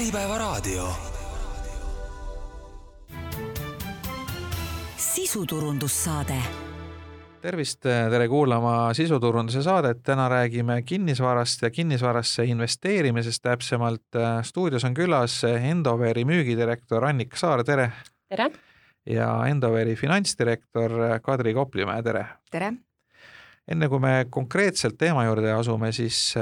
Äripäevaraadio. Sisuturundussaade. Tervist, tere kuulama sisuturunduse saadet. Täna räägime kinnisvarast ja kinnisvarasse investeerimisest täpsemalt. Stuudios on külas Endoveri müügidirektor Annika Saar, tere! Tere! Ja Endoveri finantsdirektor Kadri Koplimäe, tere! Tere! Enne kui me konkreetselt teema juurde asume, siis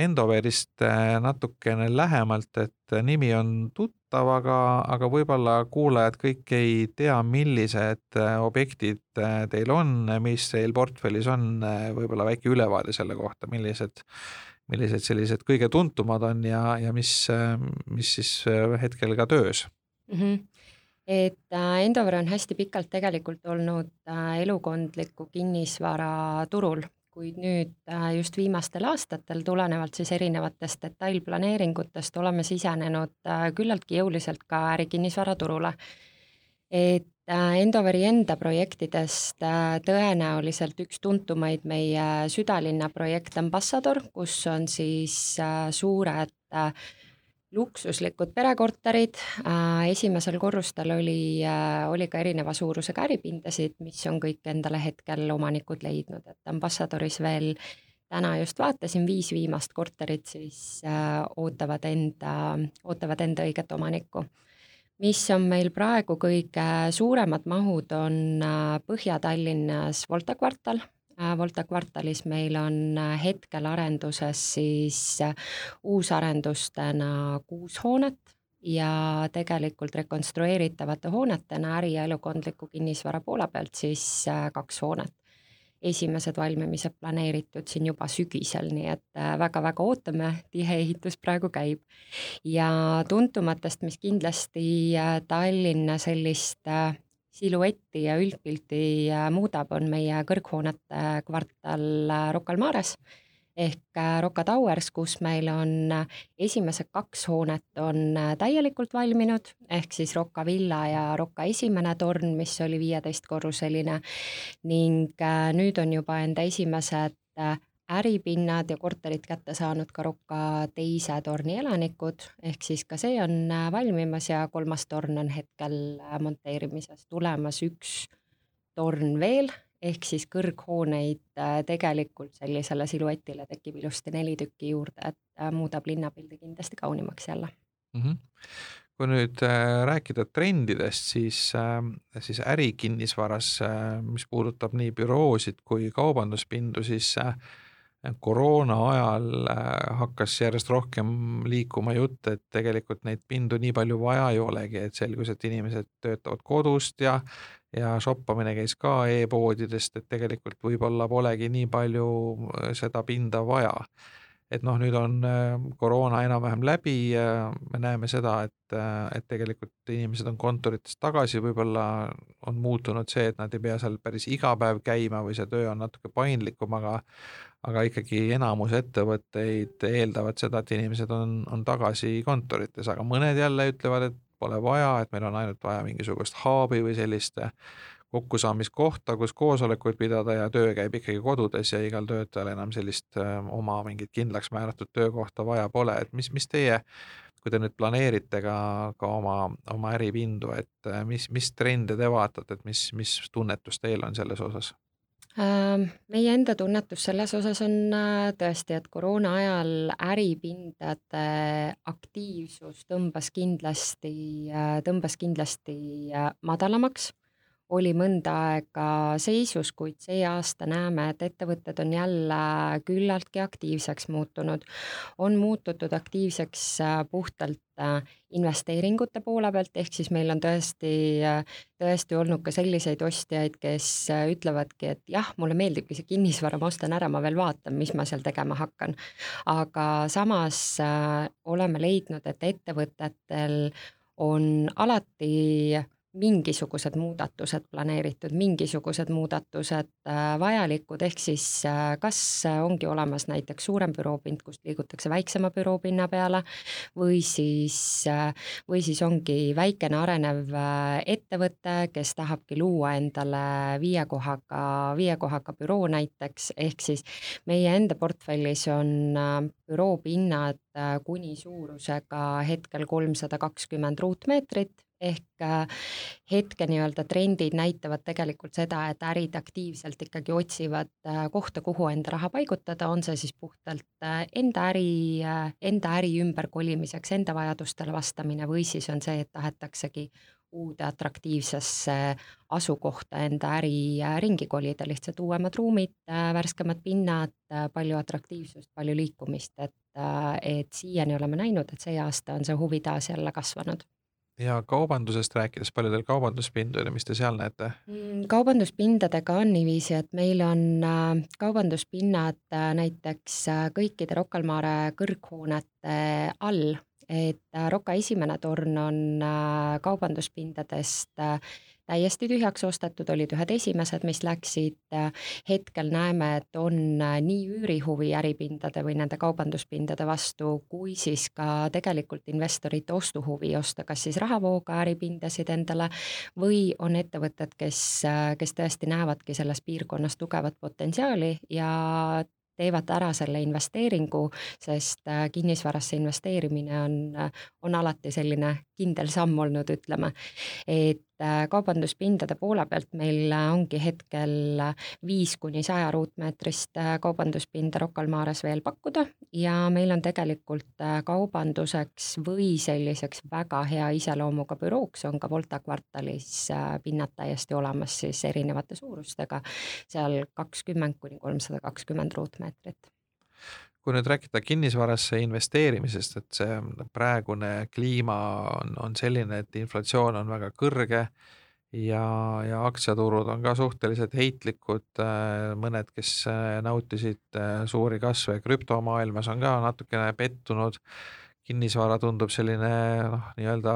Endoverist natukene lähemalt, et nimi on tuttav, aga võib-olla kuulajad kõik ei tea, millised objektid teil on, mis teil portfellis on, võib-olla väike ülevaade selle kohta, millised sellised kõige tuntumad on ja mis siis hetkel ka töös. Et Endover on hästi pikalt tegelikult olnud elukondliku kinnisvara turul, kuid nüüd just viimastel aastatel tulenevalt siis erinevatest detailplaneeringutest oleme sisenenud küllaltki jõuliselt ka ärikinnisvara turule. Et Endoveri enda projektidest tõenäoliselt üks tuntumaid meie südalinna projekt Ambassador, kus on siis suured luksuslikud perekorterid. Esimesel korrustel oli ka erineva suurusega äripindasid, mis on kõik endale hetkel omanikud leidnud. Et Ambassadoris veel täna just vaatasin 5 viimast korterit, siis ootavad enda õiget omanikku. Mis on meil praegu kõige suuremad mahud on Põhja-Tallinnas Volta kvartal. Volta kvartalis meil on hetkel arenduses siis uusarendustena 6 hoonet ja tegelikult rekonstrueeritavate hoonetena äri- ja elukondliku kinnisvara poole pealt siis 2 hoonet. Esimesed valmimised planeeritud siin juba sügisel, nii et väga-väga ootame, tihe ehitus praegu käib. Ja tuntumatest, mis kindlasti Tallinna sellist siluetti ja üldpilti muudab, on meie kõrghoonete kvartal Rocca al Mares ehk Rocca Towers, kus meil on esimesed 2 hoonet on täielikult valminud, ehk siis Rocca Villa ja Rocca esimene torn, mis oli 15-korruseline ning nüüd on juba enda esimesed äripinnad ja korterid kätte saanud ka Rocca teise torni elanikud, ehk siis ka see on valmimas ja 3. torn on hetkel monteerimises. Tulemas 1 torn veel, ehk siis kõrghooneid tegelikult sellisele siluetile tekib ilusti 4 tükki juurde, et muudab linnapildi kindlasti kaunimaks jälle. Kui nüüd rääkida trendidest, siis ärikinnisvaras, mis puudutab nii büroosid kui kaubanduspindu, siis koroona ajal hakkas järjest rohkem liikuma jutt, et tegelikult neid pindu nii palju vaja ei olegi, et selgus, et inimesed töötavad kodust ja shoppamine käis ka e-poodidest, et tegelikult võib-olla polegi nii palju seda pinda vaja. Et nüüd on koroona enam-vähem läbi, me näeme seda, et tegelikult inimesed on kontoritest tagasi, võib-olla on muutunud see, et nad ei pea seal päris iga päev käima või see töö on natuke paindlikum, aga ikkagi enamus ettevõtteid eeldavad seda, et inimesed on tagasi kontorites, aga mõned jälle ütlevad, et pole vaja, et meil on ainult vaja mingisugust haabi või sellist kokkusaamiskohta, kus koosolekuid pidada ja töö käib ikkagi kodudes ja igal töötajal enam sellist oma mingit kindlaks määratud töökohta vaja pole. Et mis teie, kui te nüüd planeerite ka oma äripindu, et mis trende te vaatate, et mis tunnetus teil on selles osas? Meie enda tunnetus selles osas on tõesti, et koroona ajal äripindade aktiivsus tõmbas kindlasti madalamaks. Oli mõnda aega seisus, kuid see aasta näeme, et ettevõtted on jälle küllaltki aktiivseks muutunud. On muututud aktiivseks puhtalt investeeringute poole pealt, ehk siis meil on tõesti olnud ka selliseid ostjaid, kes ütlevadki, et jah, mulle meeldibki see kinnisvara, ma ostan ära, ma veel vaatan, mis ma seal tegema hakkan. Aga samas oleme leidnud, et ettevõtetel on alati mingisugused muudatused planeeritud, mingisugused muudatused vajalikud, ehk siis kas ongi olemas näiteks suurem büroopind, kust liigutakse väiksema büroopinna peale, või siis ongi väikene arenev ettevõte, kes tahabki luua endale viie kohaga büroo näiteks, ehk siis meie enda portfellis on büroopinnad kuni suurusega hetkel 320 ruutmeetrit, ehk hetke nii-öelda trendid näitavad tegelikult seda, et ärid aktiivselt ikkagi otsivad kohta, kuhu enda raha paigutada, on see siis puhtalt enda äri ümberkolimiseks, enda vajadustele vastamine, või siis on see, et tahetaksegi uude atraktiivsesse asukohta enda äri ringi kolida, lihtsalt uuemad ruumid, värskemad pinnad, palju atraktiivsust, palju liikumist, et siiani oleme näinud, et see aasta on see huvi taas jälle kasvanud. Ja kaubandusest rääkides, palju teil kaubanduspindu ja mis te seal näete? Kaubanduspindadega on niiviisi, et meil on kaubanduspinnad näiteks kõikide Rocca al Mare kõrghoonete all, et Rocca esimene torn on kaubanduspindadest täiesti tühjaks ostetud, olid ühed esimesed, mis läksid. Hetkel näeme, et on nii üürihuvi äripindade või nende kaubanduspindade vastu, kui siis ka tegelikult investorite ostuhuvi osta, kas siis rahavooga äripindasid endale, või on ettevõtted, kes tõesti näevadki selles piirkonnas tugevat potentsiaali ja teevad ära selle investeeringu, sest kinnisvarasse investeerimine on alati selline kindel samm olnud, ütleme. Et kaubanduspindade poole pealt meil ongi hetkel 5–100 ruutmeetrist kaubanduspinda Rocca al Mares veel pakkuda, ja meil on tegelikult kaubanduseks või selliseks väga hea iseloomuga bürooks on ka Volta kvartalis pinnad täiesti olemas siis erinevate suurustega, seal 20–320 ruutmeetrit. Kui nüüd rääkida kinnisvarasse investeerimisest, et see praegune kliima on selline, et inflatsioon on väga kõrge ja aktsiaturud on ka suhteliselt heitlikud, mõned, kes nautisid suuri kasve krüptomaailmas, on ka natukene pettunud. Kinnisvara tundub selline nii-öelda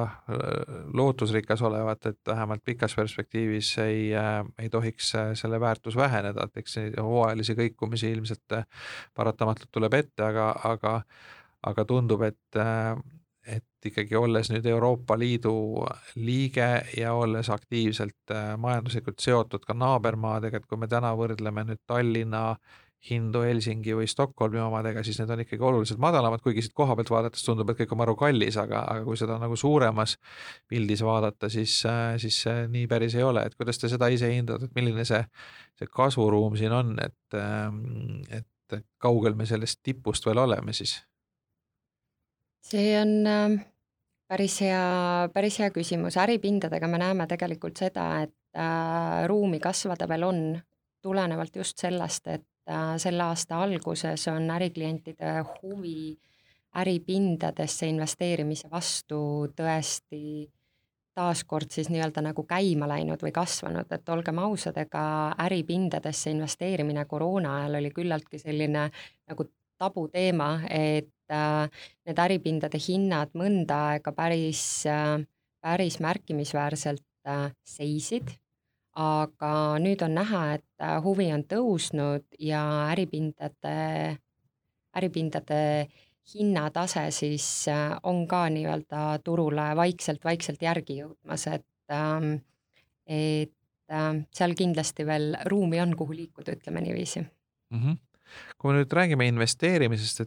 lootusrikas olevat, et vähemalt pikas perspektiivis ei tohiks selle väärtus väheneda, et eks hooajalisi kõikumisi ilmselt paratamatult tuleb ette, aga tundub, et ikkagi olles nüüd Euroopa Liidu liige ja olles aktiivselt majanduslikult seotud ka naabermaadega, et kui me täna võrdleme nüüd Tallinna hindu Helsingi või Stockholmi omadega, siis need on ikkagi oluliselt madalamad, kuigi siit koha pealt vaadates tundub, et kõik on maru kallis, aga kui seda nagu suuremas pildis vaadata, siis nii päris ei ole. Et kuidas te seda ise hindate, et milline see kasvuruum siin on, et kaugel me sellest tipust veel oleme siis? See on päris hea küsimus. Äripindadega me näeme tegelikult seda, et ruumi kasvada veel on, tulenevalt just sellest, et selle aasta alguses on äriklientide huvi äripindadesse investeerimise vastu tõesti taaskord siis nii-öelda nagu käima läinud või kasvanud, et olgem ausad, ega äripindadesse investeerimine koroona ajal oli küllaltki selline nagu tabuteema, et need äripindade hinnad mõnda aega päris märkimisväärselt seisid, aga nüüd on näha, et huvi on tõusnud ja äripindade hinnatase siis on ka nii-öelda turule vaikselt järgi jõudmas, et seal kindlasti veel ruumi on, kuhu liikuda, ütleme niiviisi. Kui me nüüd räägime investeerimisest,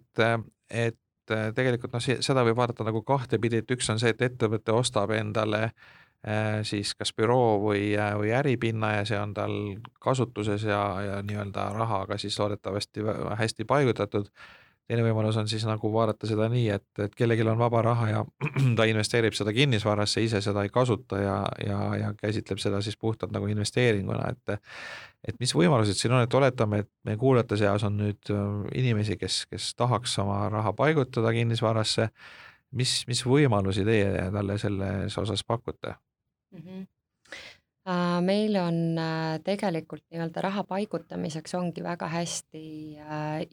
et tegelikult seda võib vaadata nagu kahtepidi, et üks on see, et ettevõte ostab endale siis kas büroo või äripinna ja see on tal kasutuses ja nii-öelda rahaga siis loodetavasti hästi paigutatud. Teine võimalus on siis nagu vaadata seda nii, et kellelgi on vaba raha ja ta investeerib seda kinnisvarasse, ise seda ei kasuta ja käsitleb seda siis puhtalt nagu investeeringuna, et mis võimalused siin on, et oletame, et meie kuulajate seas on nüüd inimesi, kes tahaks oma raha paigutada kinnisvarasse, mis võimalusi teie talle selles osas pakute? Meil on tegelikult nii-öelda raha paigutamiseks ongi väga hästi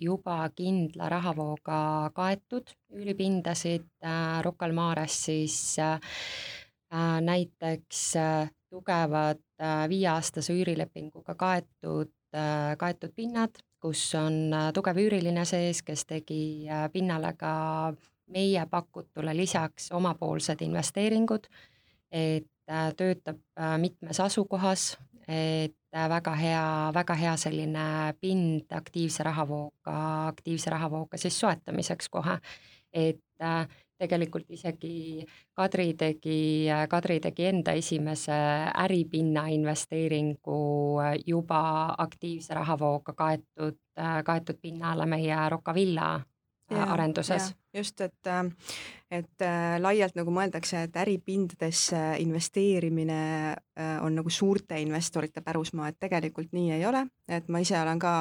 juba kindla rahavooga kaetud üüripindasid Rocca al Mares, siis näiteks tugevad 5-aastase üürilepinguga kaetud pinnad, kus on tugev üüriline sees, kes tegi pinnale ka meie pakutule lisaks omapoolsed investeeringud, et töötab mitmes asukohas, et väga hea selline pind aktiivse rahavooga siis soetamiseks kohe, et tegelikult isegi Kadri tegi enda esimese äripinna investeeringu juba aktiivse rahavooga kaetud pinnale meie Rocca Villa arenduses. Just, et laialt nagu mõeldakse, et äripindadesse investeerimine on nagu suurte investorite pärusmaa, et tegelikult nii ei ole, et ma ise olen ka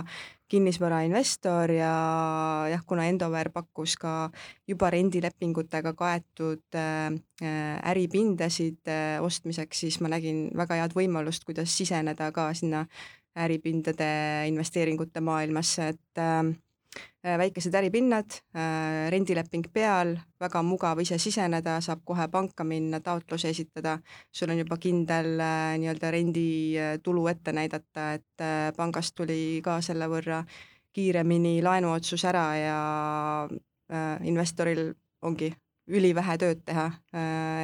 kinnisvarainvestor ja jah, kuna Endover pakkus ka juba rendilepingutega kaetud äripindasid ostmiseks, siis ma nägin väga head võimalust, kuidas siseneda ka sinna äripindade investeeringute maailmasse, et väikesed äripinnad, rendileping peal, väga mugav ise siseneda, saab kohe panka minna, taotluse esitada, sul on juba kindel nii-öelda renditulu ette näidata, et pangast tuli ka selle võrra kiiremini laenuotsus ära ja investoril ongi ülivähe tööd teha,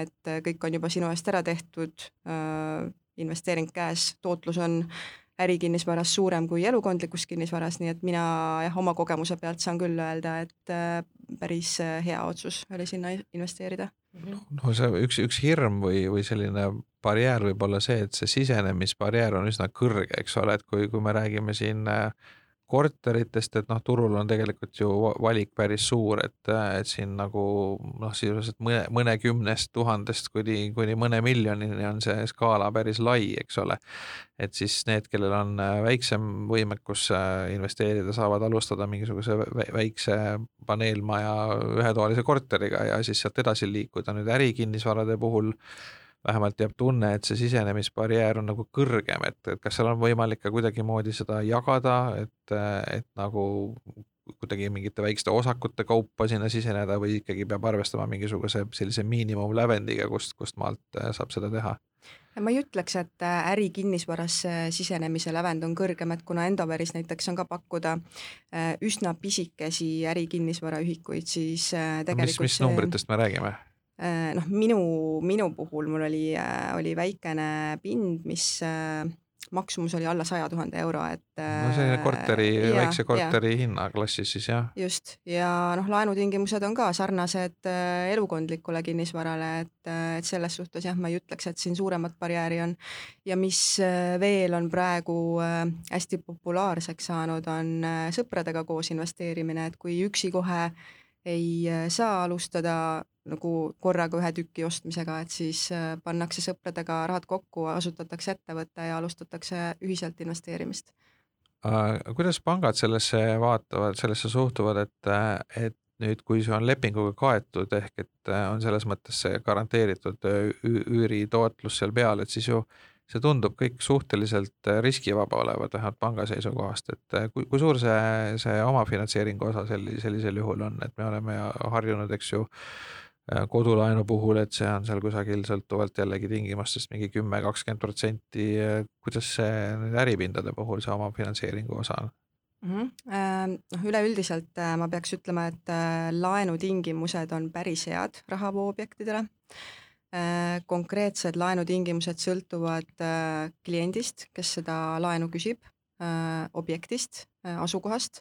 et kõik on juba sinu eest ära tehtud, investeering käes, tootlus on ärikinnisvaras suurem kui elukondlikus kinnisvaras, nii et mina oma kogemuse pealt saan küll öelda, et päris hea otsus oli sinna investeerida. No see üks hirm või selline barjäär võib olla see, et see sisenemisbarjäär on üsna kõrge, eks ole, et kui me räägime siin korteritest, et turul on tegelikult ju valik päris suur, et siin nagu sisuliselt mõnekümnest tuhandest kuni mõne miljonini on see skaala päris lai, eks ole. Et siis need, kellel on väiksem võimekus investeerida, saavad alustada mingisuguse väikse paneelmaja ühetoalise korteriga ja siis sealt edasi liikuda. Nüüd ärikinnisvarade puhul vähemalt jääb tunne, et see sisenemisbarjäär on nagu kõrgem, et kas seal on võimalik ka kuidagimoodi seda jagada, et nagu kuidagi mingite väikeste osakute kaupa sinna siseneda või ikkagi peab arvestama mingisuguse sellise miinimumlävendiga, kust maalt saab seda teha? Ma ei ütleks, et ärikinnisvarasse sisenemise lävend on kõrgem, et kuna Endoveris näiteks on ka pakkuda üsna pisikesi ärikinnisvaraühikuid, siis tegelikult mis numbritest me räägime? Minu puhul mul oli väikene pind, mis maksumus oli alla 100 000 euro, et see väikse korteri hinnaklassis siis, jah. Just, ja laenutingimused on ka sarnased elukondlikule kinnisvarale, et selles suhtes jah, ma ei ütleks, et siin suuremat barjääri on. Ja mis veel on praegu hästi populaarseks saanud, on sõpradega koos investeerimine, et kui üksi kohe ei saa alustada nagu korraga ühe tüki ostmisega, et siis pannakse sõpradega rahad kokku, asutatakse ettevõtte ja alustatakse ühiselt investeerimist. Kuidas pangad sellesse vaatavad, sellesse suhtuvad, et nüüd, kui see on lepinguga kaetud, ehk et on selles mõttes see garanteeritud üüritootlus seal peal, et siis ju see tundub kõik suhteliselt riskivaba olevat, vähemalt panga seisukohast, et kui suur see omafinantseeringu osa sellisel juhul on, et me oleme harjunud, eks ju, kodulaenu puhul, et see on seal kusagil sõltuvalt jällegi tingimustest mingi 10-20%, kuidas see äripindade puhul see omafinantseeringu osa on? Üleüldiselt ma peaks ütlema, et laenutingimused on päris head rahavooobjektidele. Konkreetsed laenutingimused sõltuvad kliendist, kes seda laenu küsib, objektist, asukohast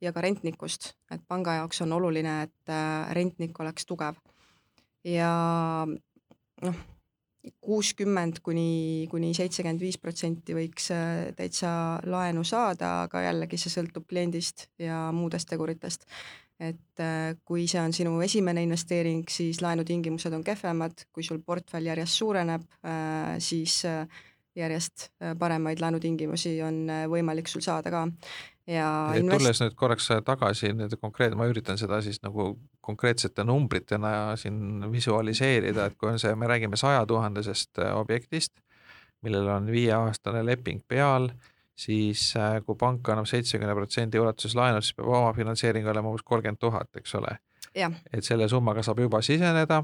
ja ka rentnikust, et panga jaoks on oluline, et rentnik oleks tugev. Ja 60 kuni 75% võiks täitsa laenu saada, aga jällegi see sõltub kliendist ja muudest teguritest. Et kui see on sinu esimene investeering, siis laenutingimused on kehvemad, kui sul portfell järjest suureneb, siis järjest paremaid laenutingimusi on võimalik sul saada ka. Tulles nüüd korraks tagasi, ma üritan seda siis nagu konkreetsete numbritena siin visualiseerida, et kui on see, me räägime 100 000-sest objektist, millel on 5-aastane leping peal, siis kui pank annab 70% ulatuses laenud, siis peab oma finantseering olema umbes 30 000, eks ole. Ja. Et selle summaga saab juba siseneda,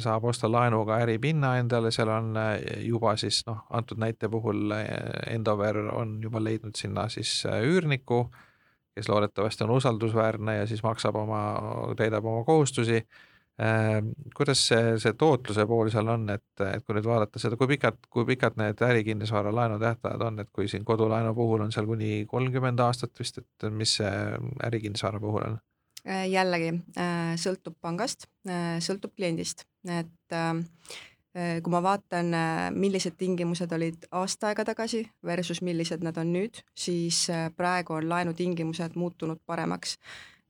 saab osta laenuga äripinna endale, seal on juba siis antud näite puhul Endover on juba leidnud sinna siis üürniku, kes loodetavasti on usaldusväärne ja siis täidab oma kohustusi. Kuidas see tootluse pool seal on, et kui nüüd vaadata seda, kui pikad need ärikinnisvara laenu tähtajad on, et kui siin kodulaenu puhul on seal kuni 30 aastat vist, et mis see ärikinnisvara puhul on? Jällegi sõltub pangast, sõltub kliendist, et kui ma vaatan, millised tingimused olid aasta aega tagasi versus millised nad on nüüd, siis praegu on laenutingimused muutunud paremaks,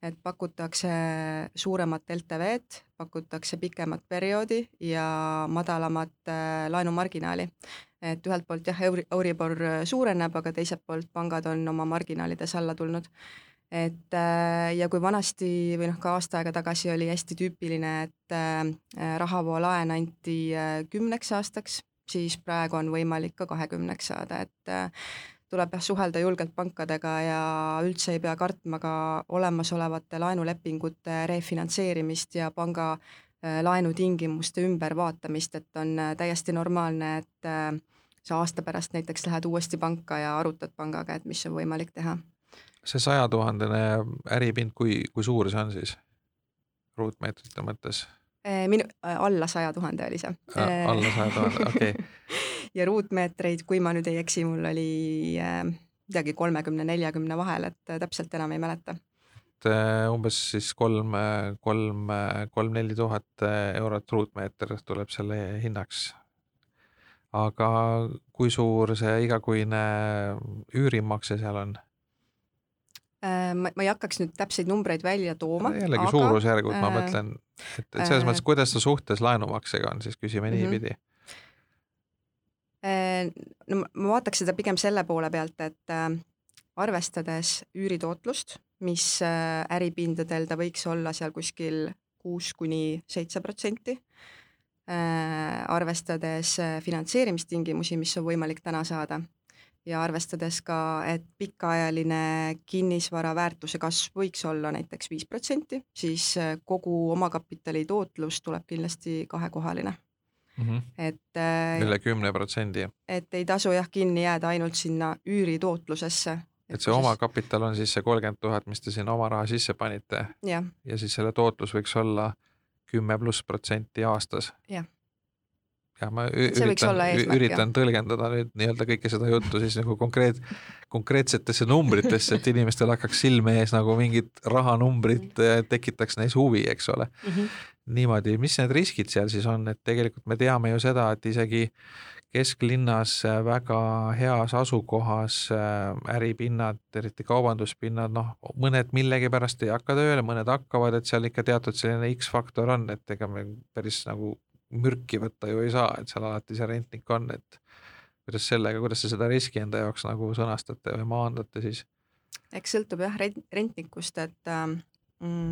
et pakutakse suuremat LTV-d, pakutakse pikemat perioodi ja madalamat laenumarginaali. Et ühelt poolt jah, Euribor suureneb, aga teiselt poolt pangad on oma marginaalides alla tulnud. Et ja kui vanasti või ka aasta aega tagasi oli hästi tüüpiline, et rahavoolaen anti 10 aastaks, siis praegu on võimalik ka 20 saada, et tuleb suhelda julgelt pankadega ja üldse ei pea kartma ka olemasolevate laenulepingute refinantseerimist ja panga laenutingimuste ümbervaatamist, et on täiesti normaalne, et sa aasta pärast näiteks lähed uuesti panka ja arutad pangaga, et mis on võimalik teha. See 100 000 äripind, kui suur see on siis ruutmeetrite mõttes? Alla 100 000 oli see. Alla 100 000, okei. Ja ruutmeetreid, kui ma nüüd ei eksi, mul oli midagi 30-40 vahel, et täpselt enam ei mäleta. Umbes siis 3-4 tuhat eurot ruutmeeter tuleb selle hinnaks. Aga kui suur see igakuine üürimakse seal on? Ma ei hakkaks nüüd täpseid numbreid välja tooma. Jällegi suurusjärgud, ma mõtlen, et selles mõttes, kuidas ta suhtes laenumaksega on, siis küsime niipidi. No, ma vaataks seda pigem selle poole pealt, et arvestades üüritootlust, mis äripindadel ta võiks olla seal kuskil 6-7%, arvestades finantseerimistingimusi, mis on võimalik täna saada, ja arvestades ka, et pikaajaline kinnisvara väärtuse kasv võiks olla näiteks 5%, siis kogu omakapitali tootlus tuleb kindlasti kahekohaline. Et, üle 10%. Et ei tasu kinni jääda ainult sinna üüritoootlusesse. Et see omakapital on siis see 30 000, mis te siin oma raha sisse panite ja siis selle tootlus võiks olla 10+% aastas. Jah. Ja ma üritan tõlgendada nüüd nii-öelda kõike seda juttu siis nagu konkreetsetesse numbritesse, et inimestel hakkaks silme ees nagu mingid rahanumbrid tekitaks neis huvi, eks ole. Niimoodi, mis need riskid seal siis on, et tegelikult me teame ju seda, et isegi kesklinnas väga heas asukohas äripinnad, eriti kaubanduspinnad, mõned millegi pärast ei hakka tööle, mõned hakkavad, et seal ikka teatud selline X-faktor on, et ega me päris nagu mürki võtta ju ei saa, et seal alati see rentnik on, et kuidas te seda riski enda jaoks nagu sõnastate või maandate siis? Eks sõltub jah rentnikust, et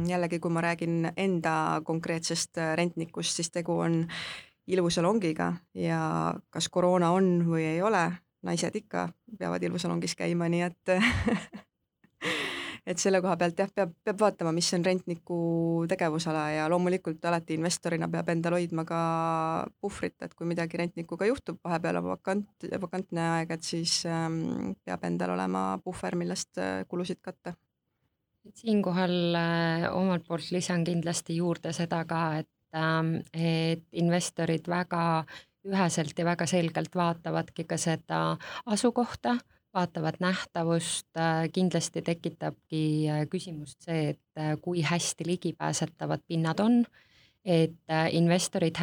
jällegi, kui ma räägin enda konkreetsest rentnikust, siis tegu on ilusalongiga ja kas koroona on või ei ole, naised ikka peavad ilusalongis käima, nii et selle koha pealt jah, peab vaatama, mis on rentniku tegevusala ja loomulikult alati investorina peab endal hoidma ka puhvrit, et kui midagi rentnikuga juhtub, vahepeal on vakantne aeg, et siis peab endal olema puhver, millest kulusid katta. Siinkohal omalt poolt lisan kindlasti juurde seda ka, et investorid väga üheselt ja väga selgelt vaatavadki ka seda asukohta, vaatavad nähtavust, kindlasti tekitabki küsimust see, et kui hästi ligipääsetavad pinnad on, et investorid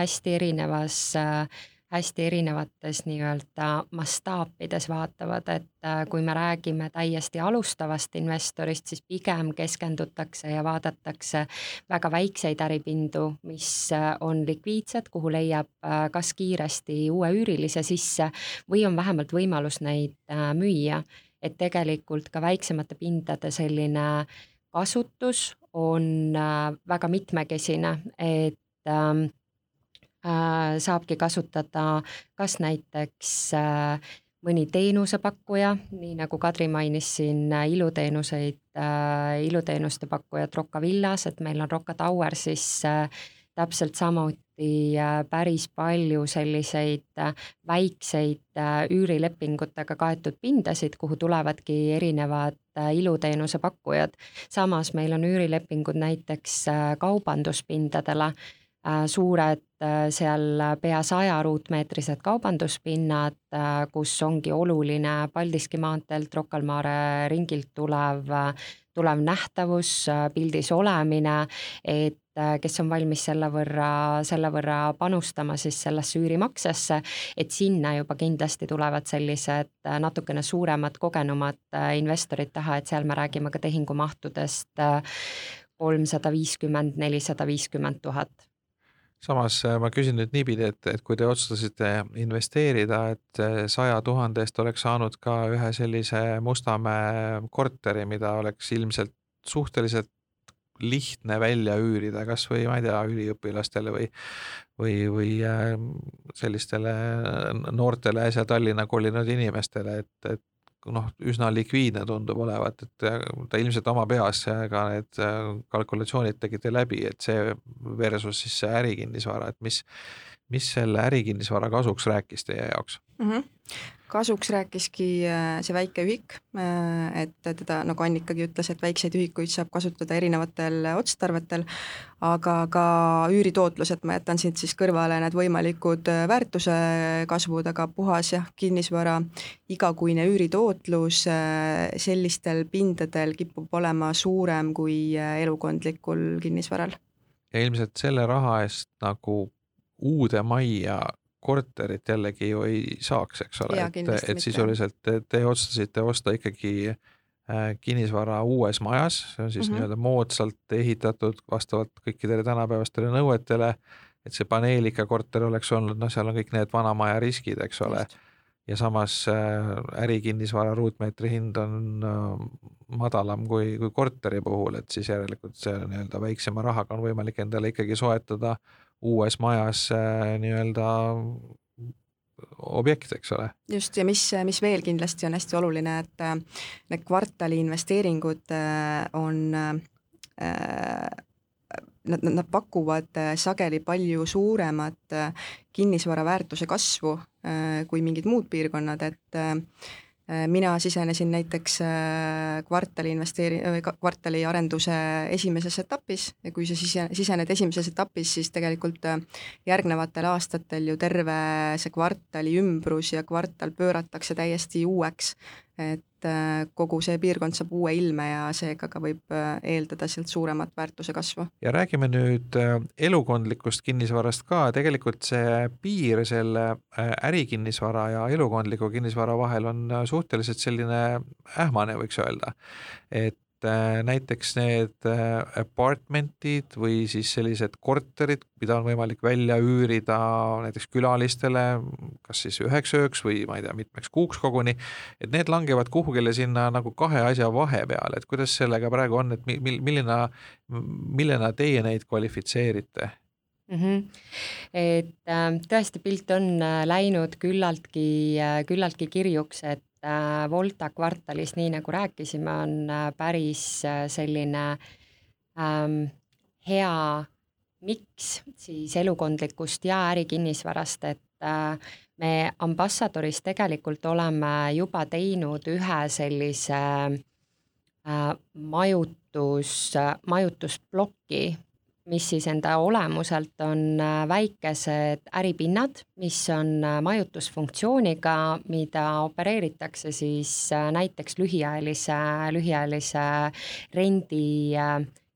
hästi erinevates nii-öelda mastaapides vaatavad, et kui me räägime täiesti alustavast investorist, siis pigem keskendutakse ja vaadatakse väga väikseid äripindu, mis on likviidsed, kuhu leiab kas kiiresti uue üürilise sisse või on vähemalt võimalus neid müüa, et tegelikult ka väiksemate pindade selline kasutus on väga mitmekesine, et saabki kasutada kas näiteks mõni teenusepakkuja, nii nagu Kadri mainis siin iluteenuste pakkujad Rocca Villas, et meil on Rocca Tower, siis täpselt päris palju selliseid väikseid üürilepingutega kaetud pindasid, kuhu tulevadki erinevad iluteenuse pakkujad. Samas meil on üürilepingud näiteks kaubanduspindadele, suured seal pea 100 ruutmeetrised kaubanduspinnad, kus ongi oluline Paldiski maanteelt Rocca al Mare ringilt tulev nähtavus, pildis olemine, et kes on valmis selle võrra panustama siis sellesse üürimaksesse, et sinna juba kindlasti tulevad sellised natukene suuremad, kogenumad investorid taha, et seal me räägime ka tehingumahtudest 350-450 000. Samas ma küsin nüüd niipidi, et kui te otsustasite investeerida, et 100 000 eest oleks saanud ka ühe sellise Mustamäe korteri, mida oleks ilmselt suhteliselt lihtne välja üürida, kas või, ma ei tea, üliõpilastele või sellistele noortele äsja Tallinna kolinud inimestele, et üsna likviidne tundub olevat, et ta ilmselt oma peas ka need kalkulatsioonid tegite läbi, et see versus siis see ärikinnisvara, et mis selle ärikinnisvara kasuks rääkis teie jaoks? Kasuks rääkiski see väike ühik, et teda, nagu Annikagi ütles, et väikseid ühikuid saab kasutada erinevatel otstarvetel, aga ka üüritootlus, et ma jätan siit siis kõrvale need võimalikud väärtuse kasvud, aga puhas kinnisvara igakuine üüritootlus sellistel pindadel kipub olema suurem kui elukondlikul kinnisvaral. Ja ilmselt selle raha eest nagu uude majja korterit jällegi ju ei saaks, eks ole, et sisuliselt te otsustasite osta ikkagi kinnisvara uues majas, see on siis nii-öelda moodsalt ehitatud vastavalt kõikidele tänapäevastele nõuetele, et see paneelika korter oleks olnud, seal on kõik need vanamaja riskid, eks ole, ja samas ärikinnisvara ruutmeetri hind on madalam kui korteri puhul, et siis järelikult see nii-öelda väiksema rahaga on võimalik endale ikkagi soetada uues majas nii-öelda objekt, eks ole. Just, ja mis veel kindlasti on hästi oluline, et need kvartali investeeringud on, nad pakuvad sageli palju suuremat kinnisvara väärtuse kasvu kui mingid muud piirkonnad, et mina sisenesin näiteks kvartali arenduse esimeses etapis ja kui sa sisened esimeses etapis, siis tegelikult järgnevatel aastatel ju terve see kvartali ümbrus ja kvartal pööratakse täiesti uueks, et kogu see piirkond saab uue ilme ja seega ka võib eeldada sealt suuremat väärtuse kasvu. Ja räägime nüüd elukondlikust kinnisvarast ka, tegelikult see piir selle ärikinnisvara ja elukondliku kinnisvara vahel on suhteliselt selline ähmane, võiks öelda, et näiteks need apartmentid või siis sellised korterid, mida on võimalik välja üürida näiteks külalistele, kas siis 1 ööks või ma ei tea, mitmeks kuuks koguni, et need langevad kuhugile sinna nagu kahe asja vahepeale, et kuidas sellega praegu on, et millena teie neid kvalifitseerite? Et tõesti pilt on läinud küllaltki kirjuks, et Volta kvartalis, nii nagu rääkisime, on päris selline hea miks siis elukondlikust ja ärikinnisvarast, et me Ambassadoris tegelikult oleme juba teinud ühe sellise majutusplokki, mis siis enda olemuselt on väikesed äripinnad, mis on majutusfunktsiooniga, mida opereeritakse siis näiteks lühiajalise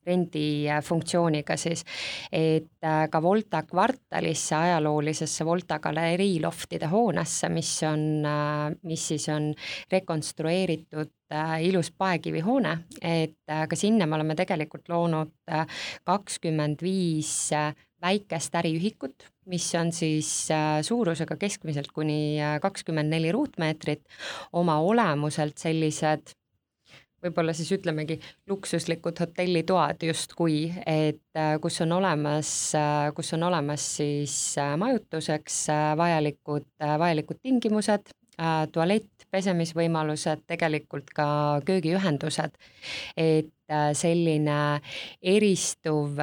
rendifunktsiooniga siis, et ka Volta kvartalisse, ajaloolisesse Volta galerii loftide hoonesse, mis siis on rekonstrueeritud ilus paekivihoone, et ka sinna me oleme tegelikult loonud 25 väikest äriühikut, mis on siis suurusega keskmiselt kuni 24 ruutmeetrit, oma olemuselt sellised võib-olla siis ütlemegi luksuslikud hotellitoad justkui, et kus on olemas siis majutuseks vajalikud tingimused, tualett, pesemisvõimalused, tegelikult ka köögiühendused, et selline eristuv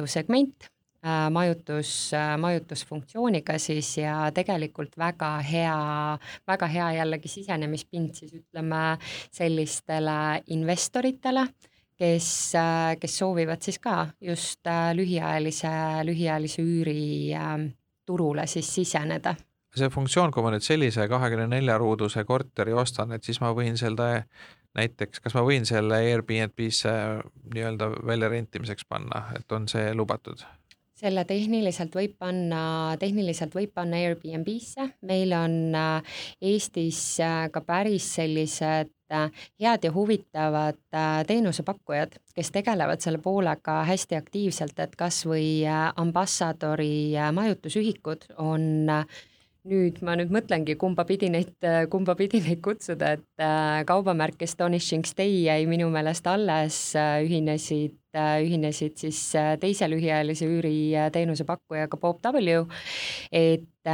segment, majutusfunktsiooniga siis ja tegelikult väga hea jällegi sisenemispind siis ütleme sellistele investoritele, kes soovivad siis ka just lühiajalise üüri turule siis siseneda. See funktsioon, kui ma nüüd sellise 24-ruuduse korteri ostan, et siis ma võin selle näiteks, kas ma võin selle Airbnb-sse nii-öelda välja rentimiseks panna, et on see lubatud? Selle tehniliselt võib panna Airbnb-sse, meil on Eestis ka päris sellised head ja huvitavad teenusepakkujad, kes tegelevad selle poolega hästi aktiivselt, et kas või Ambassadori majutusühikud on nüüd ma mõtlengi, kumba pidi neid kutsuda, et kaubamärk Astonishing Stay jäi minu meelest alles, ühinesid siis teise lühiajalise üüri teenusepakkujaga Bob W, et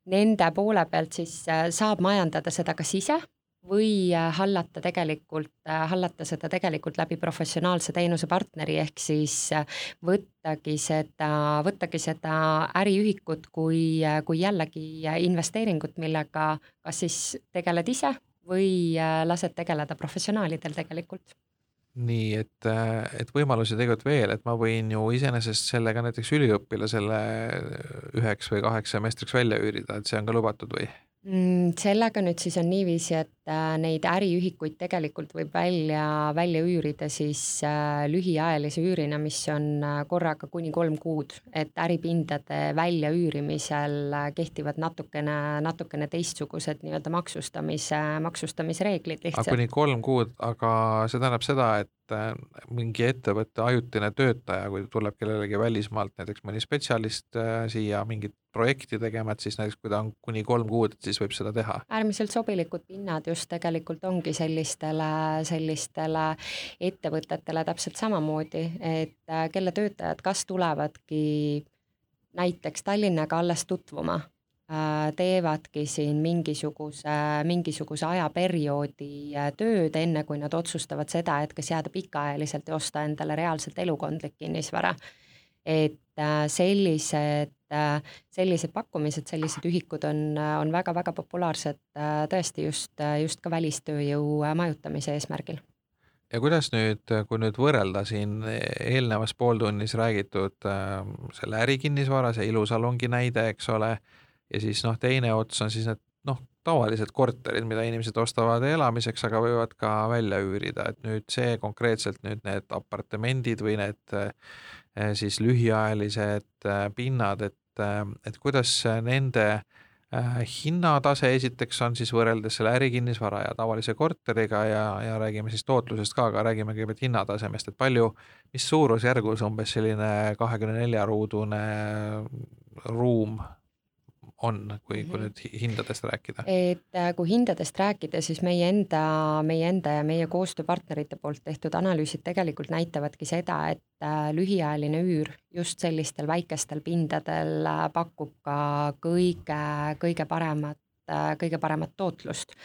nende poole pealt siis saab majandada seda kas ise või hallata seda tegelikult läbi professionaalse teenusepartneri, ehk siis võttagi seda äriühikut kui jällegi investeeringut, millega kas siis tegeled ise või lased tegeleda professionaalidel tegelikult. Nii, et võimalusi tegelikult veel, et ma võin ju iseenesest sellega näiteks üliõpilasele 1 või 2 semestriks välja üürida, et see on ka lubatud või? Sellega nüüd siis on niiviisi, et neid äriühikuid tegelikult võib välja üürida siis lühiajalise üürina, mis on korraga kuni 3 kuud, et äripindade välja üürimisel kehtivad natukene teistsugused nii-öelda maksustamisreeglid lihtsalt. Aga kuni 3 kuud, aga see tähendab seda, et mingi ettevõtte ajutine töötaja, kui tuleb kellelegi välismaalt, näiteks mõni spetsialist siia mingit projekti tegema, et siis näiteks kui ta on kuni 3 kuud, siis võib seda teha. Äärmiselt sobilikud pinnad just tegelikult ongi sellistele ettevõtetele täpselt samamoodi, et kelle töötajad kas tulevadki näiteks Tallinnaga alles tutvuma, teevadki siin mingisuguse ajaperioodi tööd, enne kui nad otsustavad seda, et kas jääda pikaajaliselt ja osta endale reaalselt elukondlik kinnisvara. Et sellised pakkumised, sellised ühikud on väga-väga populaarsed tõesti just ka välistööjõu majutamise eesmärgil. Ja kuidas nüüd, kui nüüd võrrelda siin eelnevas pooltunnis räägitud selle ärikinnisvara, see ilusalongi näide, eks ole, ja siis teine ots on siis need tavalised korterid, mida inimesed ostavad elamiseks, aga võivad ka välja üürida, et nüüd see konkreetselt nüüd need apartamendid või need siis lühiajalised pinnad, et kuidas nende hinnatase esiteks on siis võrreldes selle ärikinnisvara ja tavalise korteriga ja räägime siis tootlusest ka, aga räägime kõigepealt hinnatasemest, et mis suurusjärgus umbes selline 24-ruudune ruum on, kui nüüd hindadest rääkida? Et kui hindadest rääkida, siis meie enda ja meie koostööpartnerite poolt tehtud analüüsid tegelikult näitavadki seda, et lühiajaline üür just sellistel väikestel pindadel pakub ka kõige paremat tootlust.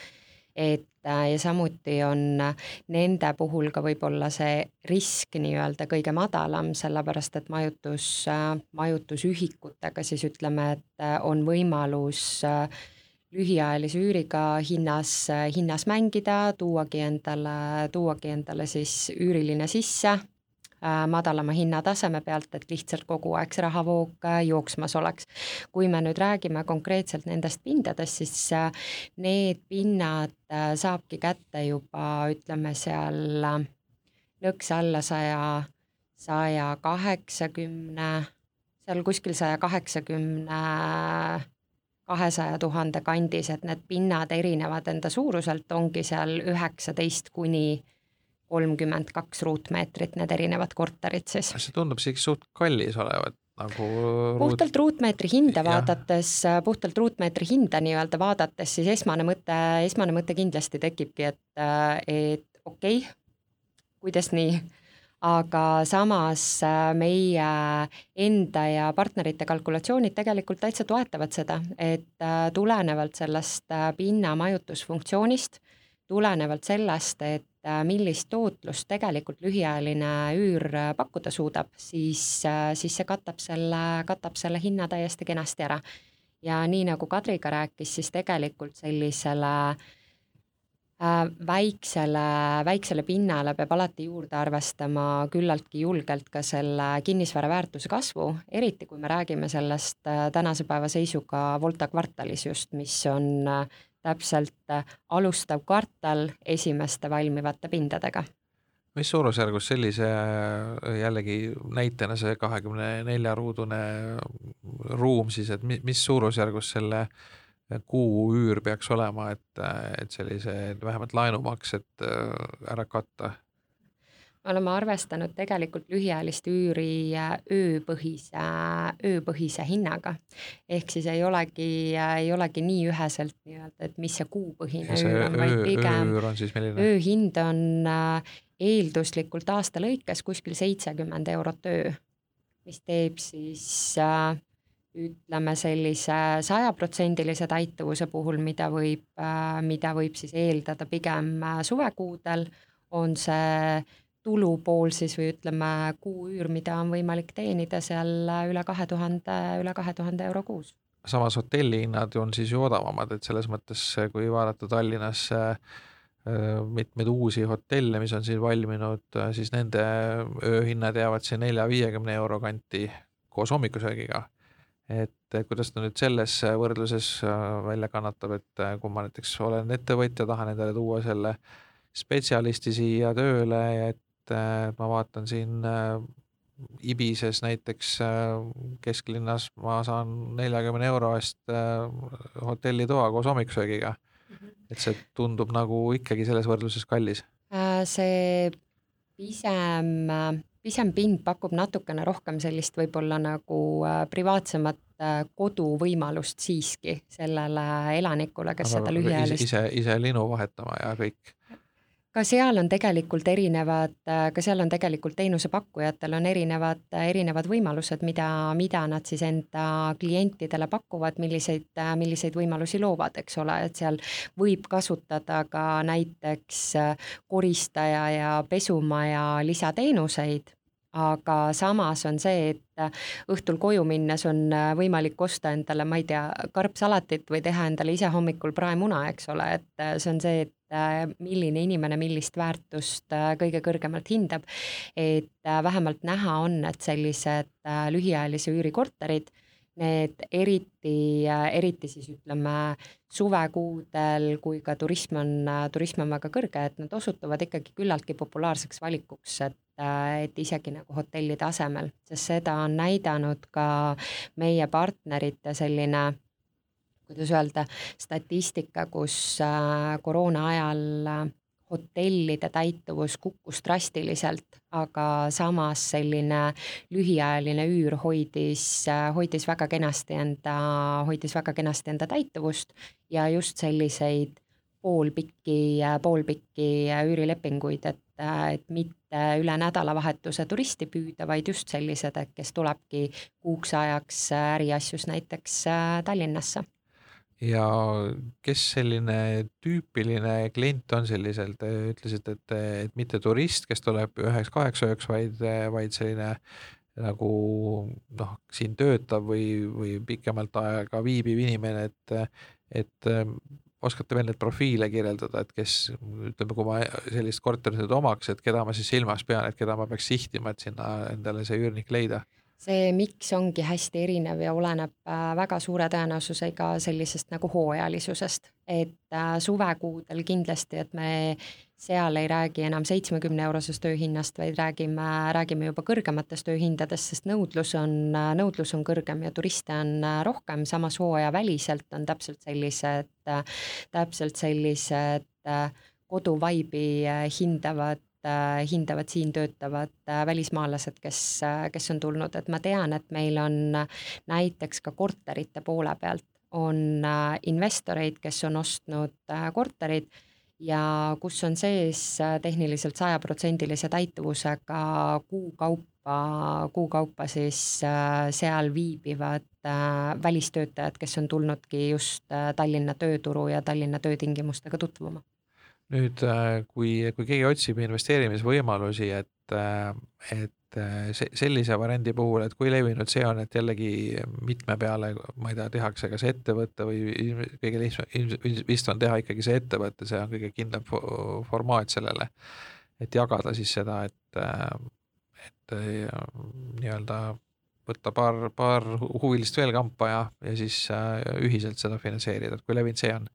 Ja samuti on nende puhul ka võib-olla see risk nii-öelda kõige madalam, sellepärast et majutusühikutega siis ütleme, et on võimalus lühiajalise üüriga hinnas mängida, tuuagi endale siis üüriline sisse madalama hinnataseme pealt, et lihtsalt kogu aeg see rahavoog jooksmas oleks. Kui me nüüd räägime konkreetselt nendest pindadest, siis need pinnad saabki kätte juba, ütleme seal nõks alla 180, seal kuskil 180 200 000 kandis, et need pinnad erinevad enda suuruselt, ongi seal 19 kuni 32 ruutmeetrit, need erinevad korterid siis. See tundub siiski suht kallis olevat. Puhtalt ruutmeetri hinda nii-öelda vaadates, siis esmane mõte kindlasti tekibki, et okei, kuidas nii, aga samas meie enda ja partnerite kalkulatsioonid tegelikult täitsa toetavad seda, et tulenevalt sellest pinna majutusfunktsioonist, tulenevalt sellest, et millist tootlust tegelikult lühiajaline üür pakkuda suudab, siis see katab selle hinna täiesti kenasti ära. Ja nii nagu Kadriga rääkis, siis tegelikult sellisele väiksele pinnale peab alati juurde arvestama küllaltki julgelt ka selle kinnisvara väärtuse kasvu, eriti kui me räägime sellest tänase päeva seisuga Volta kvartalis just, mis on täpselt alustav kvartal esimeste valmivate pindadega. Mis suurusjärgus sellise jällegi näitena see 24-ruudune ruum siis, et mis suurusjärgus selle kuu üür peaks olema, et sellise vähemalt laenumaksed ära katta? Me oleme arvestanud tegelikult lühiajalist üüri ööpõhise hinnaga. Ehk siis ei olegi nii üheselt nii-öelda, et mis see kuupõhine üür on, vaid pigem ööüür on siis milline? ööhind on eelduslikult aasta lõikes kuskil 70 eurot öö, mis teeb siis ütleme sellise 100% täituvuse puhul, mida võib siis eeldada pigem suvekuudel, on see tulupool siis või ütleme kuuüür, mida on võimalik teenida seal üle 2000 euro kuus. Samas hotellihinnad on siis ju odavamad, et selles mõttes, kui vaadata Tallinnas mitmeid uusi hotelle, mis on siin valminud, siis nende ööhinnad jäävad siin 4-50 euro kanti koos hommikusöögiga. Et kuidas ta nüüd selles võrdluses välja kannatab, et kui ma näiteks olen ettevõtja, tahan endale tuua selle spetsialisti siia tööle, et ma vaatan siin Ibises näiteks kesklinnas, ma saan 40 euro eest hotellitoa koos hommikusöögiga. Et see tundub nagu ikkagi selles võrdluses kallis. See pisem pind pakub natukene rohkem sellist võib-olla nagu privaatsemat koduvõimalust siiski sellele elanikule, kes seda lühiajalist... Ise linu vahetama ja kõik. Ka seal on tegelikult teenusepakkujatel on erinevad võimalused, mida nad siis enda klientidele pakuvad, milliseid võimalusi loovad, eks ole, et seal võib kasutada ka näiteks koristaja ja pesumaja lisateenuseid, aga samas on see, et õhtul koju minnes on võimalik osta endale, ma ei tea, karpsalatit või teha endale ise hommikul praemuna, eks ole, et see on see, et milline inimene millist väärtust kõige kõrgemalt hindab, et vähemalt näha on, et sellised lühiajalise üürikorterid, need eriti siis ütleme suvekuudel, kui ka turism on väga kõrge, et nad osutuvad ikkagi küllaltki populaarseks valikuks, et isegi nagu hotellide asemel, sest seda on näidanud ka meie partnerite selline, kuidas öelda, statistika, kus koroona ajal hotellide täituvus kukkus drastiliselt, aga samas selline lühiajaline üür hoidis väga kenasti enda täituvust ja just selliseid poolpikki üürilepinguid, et mitte üle nädalavahetuse turisti püüda, vaid just sellised, et kes tulebki kuuks ajaks äriasjus näiteks Tallinnasse. Ja kes selline tüüpiline klient on selliselt, te ütlesite, et mitte turist, kes tuleb 1-8 ööks, vaid selline nagu siin töötav või pikemalt aega viibiv inimene, et oskate veel need profiile kirjeldada, et kes, ütleme, kui ma sellist korterit omaks, et keda ma siis silmas pean, et keda ma peaks sihtima, et sinna endale see üürnik leida? See miks ongi hästi erinev ja oleneb väga suure tõenäosusega sellisest nagu hooajalisusest, et suvekuudel kindlasti, et me seal ei räägi enam 70 eurosest ööhinnast, vaid räägime juba kõrgematest ööhindadest, sest nõudlus on kõrgem ja turiste on rohkem, samas hooaja väliselt on täpselt sellised koduvaibi hindavad siin töötavad välismaalased, kes on tulnud, et ma tean, et meil on näiteks ka korterite poole pealt on investoreid, kes on ostnud korterid ja kus on sees tehniliselt 100% täituvusega kuukaupa siis seal viibivad välistöötajad, kes on tulnudki just Tallinna tööturu ja Tallinna töötingimustega tutvuma. nüüd kui keegi otsib investeerimisvõimalusi, et sellise variandi puhul, et kui levinud see on, et jällegi mitme peale, ma ei tea, tehakse kas ettevõtte või kõige lihtsam vist on teha ikkagi see ettevõte, see on kõige kindlam formaat sellele, et jagada siis seda, et nii-öelda võtta paar huvilist veel kampa ja siis ühiselt seda finantseerida, et kui levinud see on.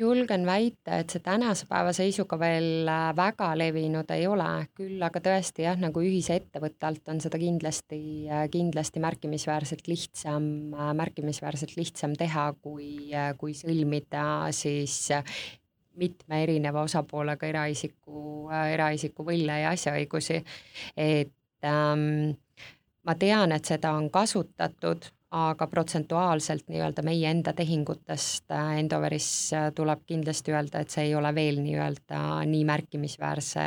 Julgen väita, et see tänase päeva seisuga veel väga levinud ei ole, küll aga tõesti jah, nagu ühise ettevõtte alt on seda kindlasti märkimisväärselt lihtsam teha, kui sõlmida siis mitme erineva osapoolega eraisiku võlle ja asjaõigusi. Et ma tean, et seda on kasutatud, aga protsentuaalselt nii-öelda meie enda tehingutest Endoveris tuleb kindlasti öelda, et see ei ole veel nii-öelda nii märkimisväärse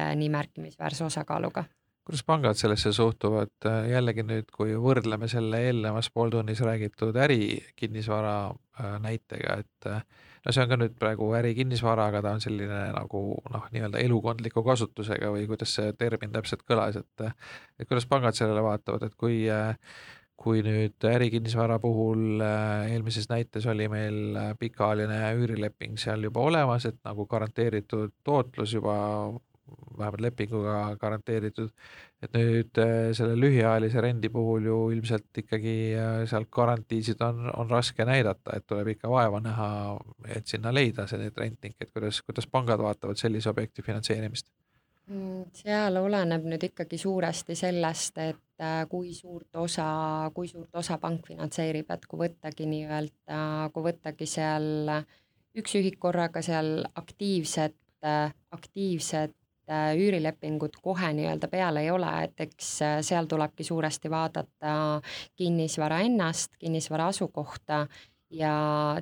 osakaaluga. Kuidas pangad sellesse suhtuvad? Jällegi nüüd, kui võrdleme selle eelnevas pooltunnis räägitud ärikinnisvara näitega, et no see on ka nüüd praegu ärikinnisvara, aga ta on selline nagu nii-öelda elukondliku kasutusega või kuidas see termin täpselt kõlas, et kuidas pangad sellele vaatavad, et kui nüüd ärikinnisvara puhul eelmises näites oli meil pikaajaline üürileping seal juba olemas, et nagu garanteeritud tootlus juba vähemalt lepinguga garanteeritud, et nüüd selle lühiajalise rendi puhul ju ilmselt ikkagi seal garantiisid on raske näidata, et tuleb ikka vaeva näha, et sinna leida see rentnik, et kuidas pangad vaatavad sellise objekti finantseerimist? Seal oleneb nüüd ikkagi suuresti sellest, et kui suurt osa pank finantseerib, et kui võttagi seal üks ühik korraga seal aktiivset üürilepingut kohe nii-öelda peal ei ole, et eks seal tulebki suuresti vaadata kinnisvara ennast, kinnisvara asukohta ja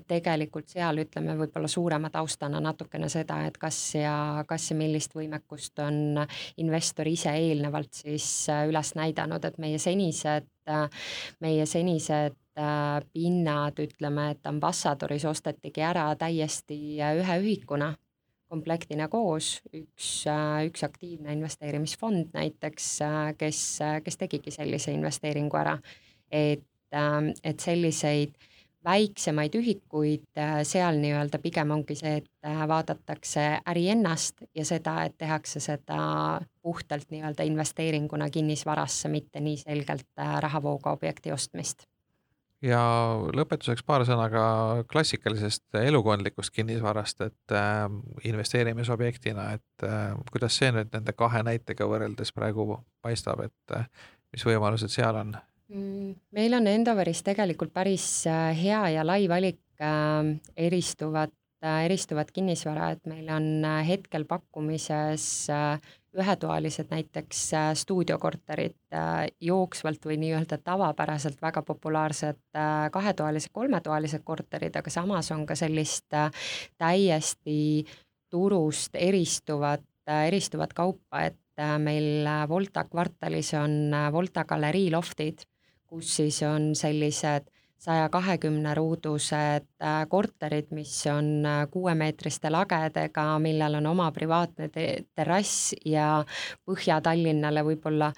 tegelikult seal ütleme võib-olla suurema taustana natukene seda, et kas ja millist võimekust on investor ise eelnevalt siis üles näidanud, et meie senised pinnad, ütleme, et Ambassadoris ostetigi ära täiesti ühe ühikuna, komplektina koos, üks aktiivne investeerimisfond näiteks, kes tegigi sellise investeeringu ära, et selliseid väiksemaid ühikuid seal nii-öelda pigem ongi see, et vaadatakse äri ennast ja seda, et tehakse seda puhtalt nii-öelda investeeringuna kinnisvarasse, mitte nii selgelt rahavooga objekti ostmist. Ja lõpetuseks paar sõna ka klassikalisest elukondlikust kinnisvarast, et investeerimisobjektina, et kuidas see nüüd nende kahe näitega võrreldes praegu paistab, et mis võimalused seal on? Meil on Endoveris tegelikult päris hea ja lai valik eristuvat kinnisvara, et meil on hetkel pakkumises ühetoalised näiteks stuudiokorterid jooksvalt või nii-öelda tavapäraselt väga populaarsed kahetoalised, kolmetoalised korterid, aga samas on ka sellist täiesti turust eristuvat kaupa, et meil Volta kvartalis on Volta galerii loftid, kus siis on sellised 120 ruudused korterid, mis on 6-meetriste lagedega, millel on oma privaatne terrass ja Põhja-Tallinnale võib-olla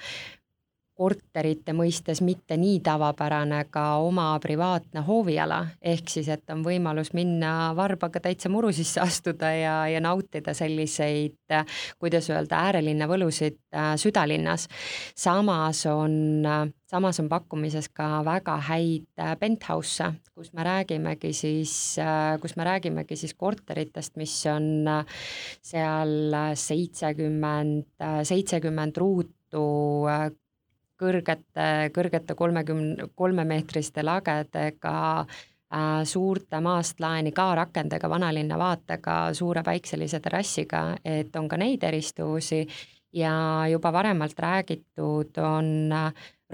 korterite mõistes mitte nii tavapärane ka oma privaatne hooviala, ehk siis, et on võimalus minna varbaga täitsa muru sisse astuda ja nautida selliseid, kuidas öelda, äärelinna võlusid südalinnas. Samas on pakkumises ka väga häid penthouse, kus me räägimegi siis korteritest, mis on seal 70 ruutu kõrgete 33-meetriste lagedega, suurte maast laeni ka rakendega, vanalinna vaatega, suure päikselise terrassiga, et on ka neid eristuvusi ja juba varemalt räägitud on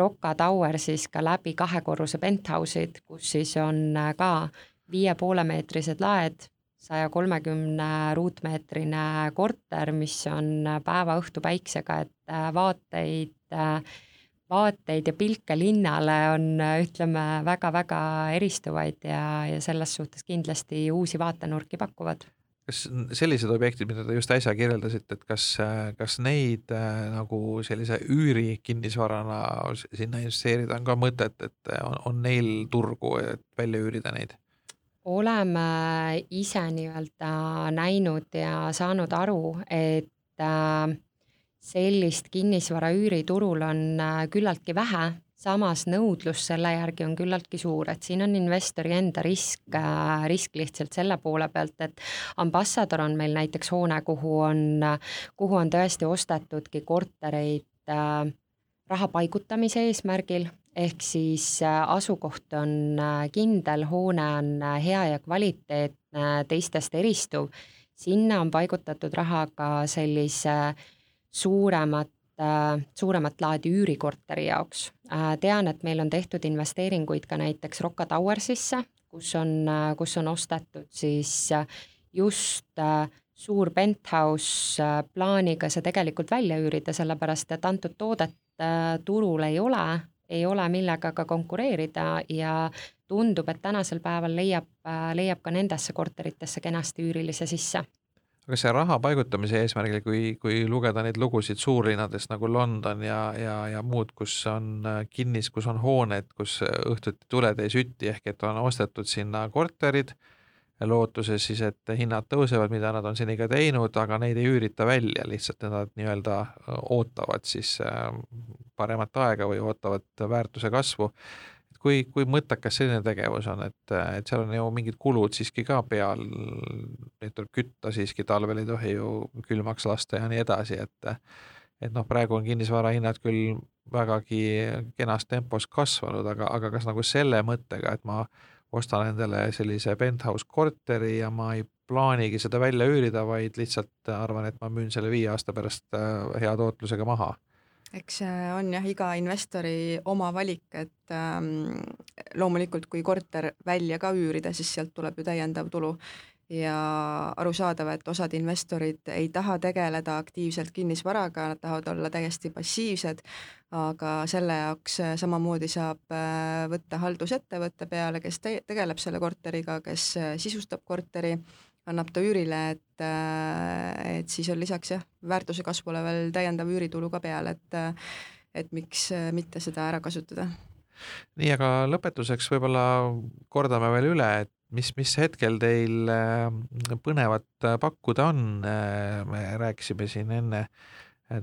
Rocca Tower siis ka läbi 2-korruse penthouse'id, kus siis on ka 5,5-meetrised laed, 130 ruutmeetrine korter, mis on päeva-õhtu päiksega, et vaateid ja pilke linnale on, ütleme, väga-väga eristuvaid ja selles suhtes kindlasti uusi vaatenurki pakuvad. kas sellised objektid, mida te just äsja kirjeldasite, et kas neid nagu sellise üüri kinnisvarana sinna investeerida on ka mõtet, et on neil turgu, et välja üürida neid? Oleme ise nii-öelda näinud ja saanud aru, et sellist kinnisvara üüriturul on küllaltki vähe, samas nõudlus selle järgi on küllaltki suur, et siin on investori enda risk lihtsalt selle poole pealt, et Ambassador on meil näiteks hoone, kuhu on tõesti ostetudki kortereid raha paigutamise eesmärgil, ehk siis asukoht on kindel, hoone on hea ja kvaliteetne, teistest eristuv. Sinna on paigutatud raha ka sellise suuremat laadi üürikorteri jaoks. Tean, et meil on tehtud investeeringuid ka näiteks Rocca Towersisse, kus on ostetud siis just suur penthouse plaaniga see tegelikult välja üürida, sellepärast et antud toodet turul ei ole millega ka konkureerida ja tundub, et tänasel päeval leiab ka nendesse korteritesse kenasti üürilise sisse. Aga see raha paigutamise eesmärgil, kui lugeda neid lugusid suurlinnadest nagu London ja muud, kus on kus on hooned, kus õhtuti tuled ei süti, ehk et on ostetud sinna korterid, lootuses siis, et hinnad tõusevad, mida nad on seni ka teinud, aga neid ei üürita välja, lihtsalt nad nii-öelda ootavad siis paremat aega või ootavad väärtuse kasvu. Kui mõttekas selline tegevus on, et seal on ju mingid kulud siiski ka peal, neid tuleb kütta siiski, talvel ei tohi ju külmaks lasta ja nii edasi, et praegu on kinnisvara hinnad küll vägagi kenas tempos kasvanud, aga kas nagu selle mõttega, et ma ostan endale sellise penthouse korteri ja ma ei plaanigi seda välja üürida, vaid lihtsalt arvan, et ma müün selle 5 aasta pärast hea tootlusega maha. Eks on jah iga investori oma valik, et loomulikult kui korter välja ka üürida, siis sealt tuleb ju täiendav tulu ja arusaadav, et osad investorid ei taha tegeleda aktiivselt kinnisvaraga, nad tahavad olla täiesti passiivsed, aga selle jaoks samamoodi saab võtta haldusettevõtte peale, kes tegeleb selle korteriga, kes sisustab korteri, annab ta üürile, et siis on lisaks väärtuse kasvule veel täiendav üüritulu ka peale, et miks mitte seda ära kasutada. Nii, aga lõpetuseks võib-olla kordame veel üle, et mis hetkel teil põnevat pakkuda on. Me rääkisime siin enne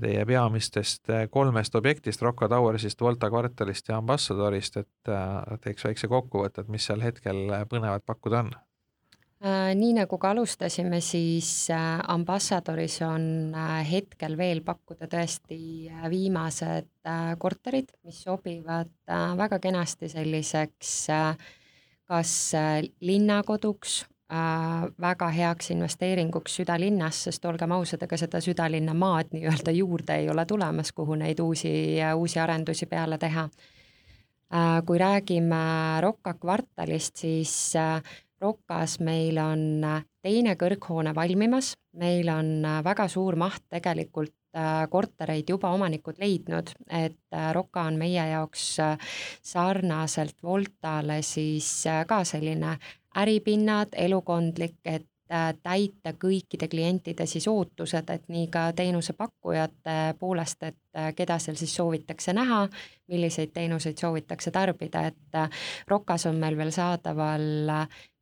teie peamistest 3 objektist, Rocca Towersist, Volta kvartalist ja Ambassadorist, et teeks väikse kokkuvõtte, et mis seal hetkel põnevat pakkuda on. Nii nagu ka alustasime, siis Ambassadoris on hetkel veel pakkuda tõesti viimased korterid, mis sobivad väga kenasti selliseks kas linnakoduks, väga heaks investeeringuks südalinnas, sest olgem ausad, ega seda südalinna maad nii-öelda juurde ei ole tulemas, kuhu neid uusi arendusi peale teha. Kui räägime Rocca kvartalist, siis Roccas meil on teine kõrghoone valmimas, meil on väga suur maht tegelikult kortereid juba omanikud leidnud, et Rocca on meie jaoks sarnaselt Voltale siis ka selline äripinnad, elukondlik, et täita kõikide klientide siis ootused, et nii ka teenusepakkujate poolest, et keda seal siis soovitakse näha, milliseid teenuseid soovitakse tarbida, et Roccas on meil veel saadaval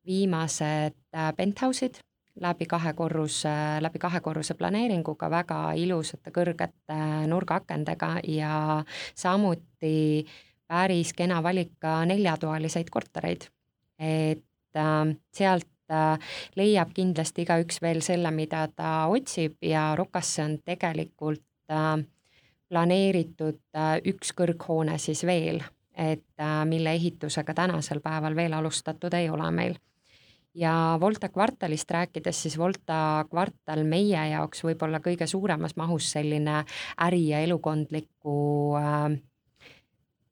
viimased penthouse'id läbi kahekorruse planeeringuga, väga ilusate kõrgete nurgaakendega ja samuti päris kena valik ka 4-toaliseid kortereid. Et sealt leiab kindlasti igaüks veel selle, mida ta otsib ja Roccasse on tegelikult planeeritud 1 kõrghoone siis veel, et mille ehitusega tänasel päeval veel alustatud ei ole meil. Ja Volta kvartalist rääkides, siis Volta kvartal meie jaoks võib-olla kõige suuremas mahus selline äri- ja elukondliku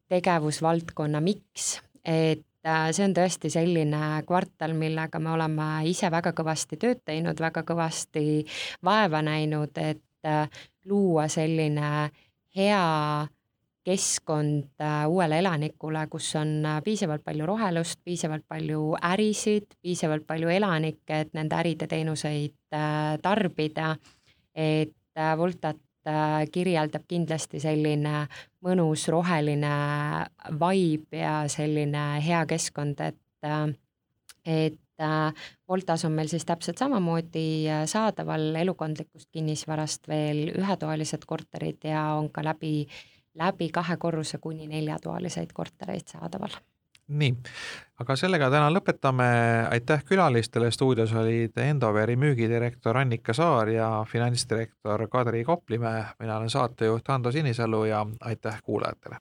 tegevusvaldkonna miks, et see on tõesti selline kvartal, millega me oleme ise väga kõvasti tööd teinud, väga kõvasti vaeva näinud, et luua selline hea keskkond uuele elanikule, kus on piisavalt palju rohelust, piisavalt palju ärisid, piisavalt palju elanikke, et nende äride teenuseid tarbida, et Voltat kirjeldab kindlasti selline mõnus roheline vibe ja selline hea keskkond, et Voltas on meil siis täpselt samamoodi saadaval elukondlikust kinnisvarast veel ühetoalised korterid ja on ka läbi 2 korruse kuni 4-toaliseid kortereid saadaval. Nii, aga sellega täna lõpetame. Aitäh külalistele. Stuudios olid Endoveri müügidirektor Annika Saar ja finantsdirektor Kadri Koplimäe. Mina olen saatejuht Hando Sinisalu ja aitäh kuulajatele.